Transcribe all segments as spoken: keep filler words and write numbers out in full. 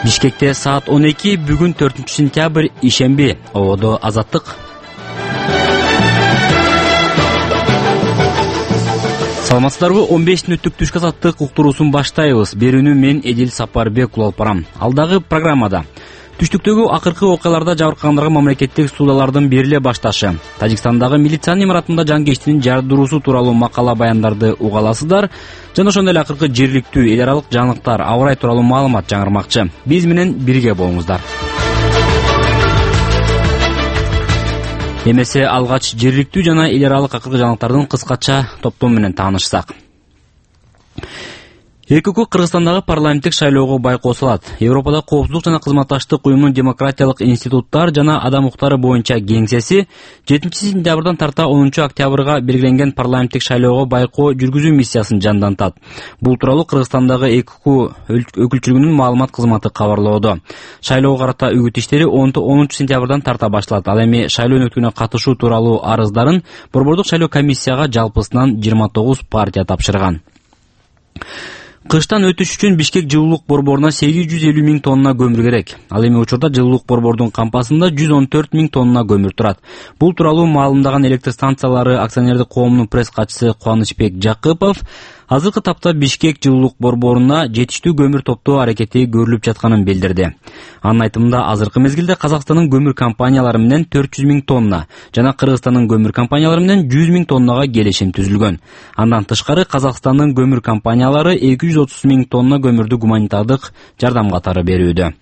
Бишкекте саат он эки, бүгүн төртүнчү сентябрь, ишемби. Ободо Азаттык. Саламатсыздарбы? он беш мүнөттүк түшкү азаттык уктуруусун баштайбыз. Берүүнү мен Эдил Сапарбек улуп барам. Алдагы программада түштүктөгү акыркы окуяларда жабыркагандарга мамлекеттик суудалардын бериле башташы, Тажикстандагы милициянын имаратында жангечтинин жардыруусу тууралуу макала баяндарды уга аласыздар. Жана ошондой эле акыркы жергиликтүү эл аралык жаңылыктар, аба ырайы тууралуу маалымат жаңырмакчы. Биз менен бирге болуңуздар. Эмесе алгач жергиликтүү жана эл аралык акыркы жаңылыктардын кыскача топтому менен таанышсак. ЭКК Кыргызстандагы парламенттик шайлоого байкоо салат. Европада коопсуздук жана кызматташтык уюмунун демократиялык институттар жана адам укуктары боюнча кеңсеси жетинчи сентябрдан тарта онунчу октябрга белгиленген парламенттик шайлоого байкоо жүргүзүү миссиясын жандантат. Бул тууралуу Кыргызстандагы ЭКК өкүлчүлүгүнүн маалымат кызматы кабарлоодо. Шайлоого карата үгүт иштери онунчу сентябрдан тарта башталат. Ал эми шайлоо өнөктүгүнө катышуу тууралуу арыздарын Борбордук шайлоо комиссияга жалпысынан жыйырма тогуз партия тапшырган. Кыштан өтүш үчүн Бишкек жылуулук борборуна сегиз жүз элүү миң тонна көмүр керек. Ал эми учурда жылуулук борбордун кампасында жүз он төрт миң тонна көмүр турат. Бул тууралуу маалымдаган электр станциялары акционердик коомунун пресс катчысы Кубанычбек Жакыпов азыркы тапта Бишкек жылуулук борборуна жетиштүү көмүр топтоо аракети көрүлүп жатканын билдирди. Анын айтымында азыркы мезгилде Казакстандын көмүр компаниялары менен төрт жүз миң тонна жана Кыргызстандын көмүр компаниялары менен жүз миң тоннага келишим түзүлгөн. Андан тышкары Казакстандын көмүр компаниялары эки жүз отуз миң тонна көмүрдү гуманитардык жардам катары берүүдө.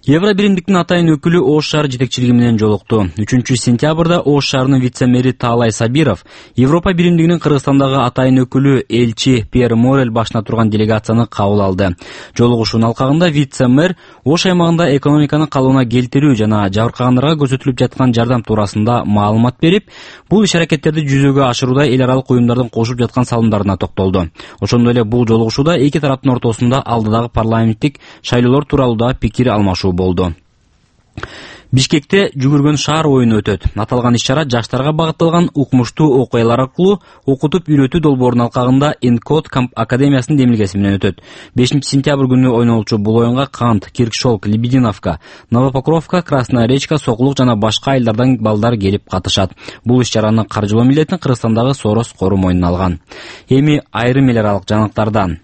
Евро биримдиктин атайын өкүлү Ош шаар жетекчилиги менен жолукту. үчүнчү сентябрда Ош шаарынын вице-мэри Таалай Сабиров Европа биримдигинин Кыргызстандагы атайын өкүлү элчи Пьер Морель башына турган делегацияны кабыл алды. Жолугушуунун алкагында вице-мэр Ош аймагында экономиканын калыбына келтирүү жана жабыркагандарга көрсөтүлүп жаткан жардам туурасында маалымат берип, бул иш-аракеттерди жүзөгө ашырууда эл аралык уюмдардын кошуп жаткан салымдарына токтолду. Ошондой эле бул жолугушууда эки тараптын ортосунда алдыдагы парламенттик шайлоолор тууралуу да пикир алмашуу болду. Бишкекте жүгүргөн шаар оюну өтөт. Аталган иш-чара жаштарга багытталган укмуштуу окуялар аркылуу окутуп үйрөтүү долбоорунун алкагында Энкод академиясынын демилгеси менен өтөт. бешинчи сентябрь күнү ойнолчу бул оюнга Кант, Киркшолк, Лебединовка, Новопокровка, Красная Речка, Сокулук жана башка айылдардан балдар келип катышат. Бул иш-чараны каржылоо милдетин Кыргызстандагы Сорос қору мойнуна алган. Эми айрым эл аралык жаңылыктардан.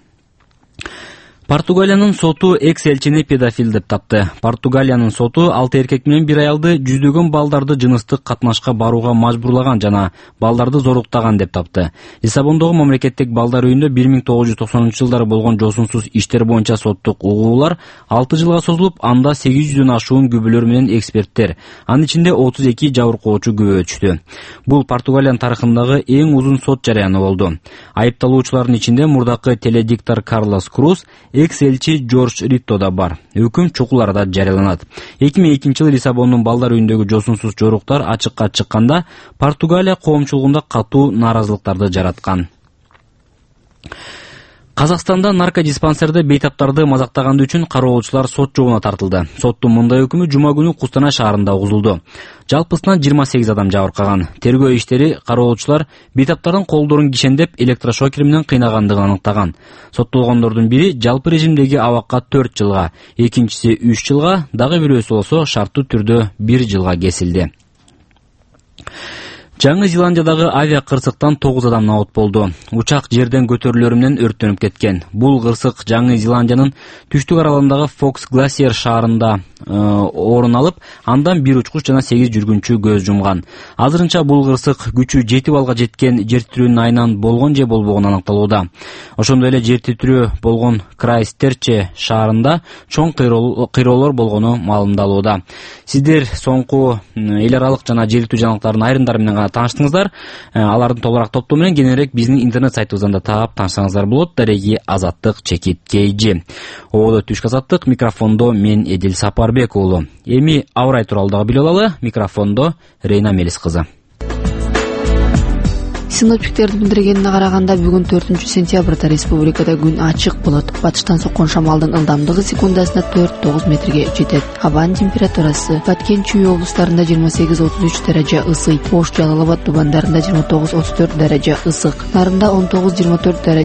Португалиянын соту экс-элчини педофил деп тапты. Португалиянын соту алты эркек менен бир аялды жүздөгөн балдарды жыныстык катнашка барууга мажбурлаган жана балдарды зоруктаган деп тапты. Лиссабондогу мамлекеттик балдар үйүндө бир миң тогуз жүз токсонунчу жылдары болгон жосунсуз иштер боюнча соттук угуулар алты жылга созулуп, анда сегиз жүздөн ашуун күбөлөр менен эксперттер, анын ичинде отуз эки жабыркоочу күбө өтүштү. Бул Португалиянын тарыхындагы эң узун сот жарыяны болду. Айыпталуучулардын ичинде мурдакы теледиктор Карлос Круз, экс-элчи Жорж Ритто да бар. Өкүм чукул арада жарыяланат. эки миң экинчи жылы Лиссабондун балдар үйүндөгү жосунсуз жоруктар ачыкка чыкканда Португалия коомчулугунда катуу нааразылыктарды жараткан. Казакстанда наркодиспансерде бейтаптарды мазактаганды үчүн кароолчулар сот жообуна тартылды. Соттун мындай өкүмү жума күнү Кустанай шаарында угузулду. Жалпысынан жыйырма сегиз адам жабыркаган. Тергөө иштери кароолчулар бейтаптардын колдорун кишендеп электрошокер менен кыйнагандыгын аныктаган. Соттолгондордун бири жалпы режимдеги абакка төрт жылга, экинчиси үч жылга, дагы бирөөсү болсо шарттуу түрдө бир жылга кесилди. Жаңы Зеландиядагы авиа кырсыктан тогуз адам набат болду. Учак жерден көтөрүлөрү менен өрттөнүп кеткен. Бул кырсык Жаңы Зеландиянын түштүк аралындагы Фокс Гласиер шаарында орун алып, андан бир учкуч жана сегиз жүргүнчү көз жумган. Азырынча бул кырсык күчү жети балга жеткен жер титирөөнүн айынан болгон же болбогону аныкталууда. Ошондой эле жер титирөө болгон Крайстчерч шаарында чоң кыйроолор болгону маалымдалууда. Сиздер соңку эл аралык жана жергиликтүү жаңылыктардын айрымдары менен тааныштыңыздар. Алардын толугураак топтому менен кененирээк биздин интернет сайтыбыздан да таап таанышсаңыздар болот. Дареги Азаттык чекит Кейжи. Ободо түшкү азаттык, микрофондо мен Эдил Сапарбек уулу. Эми аба ырайы тууралуу дагы билип алалы. Микрофондо Рейна Мелис кызы. Синоптиктердин билдиргенине караганда бүгүн төртүнчү сентябрда республикада күн ачык болот. Батыштан соккон шамалдын ылдамдыгы секундасына төрт тогуз метрге жетет. Абанын температурасы Баткен Чүй облустарында жыйырма сегиз отуз үч даража ысый, Ош Жалал Абад тубандарында жыйырма тогуз отуз төрт даража ысык, Нарында он тогуз жыйырма төрт даража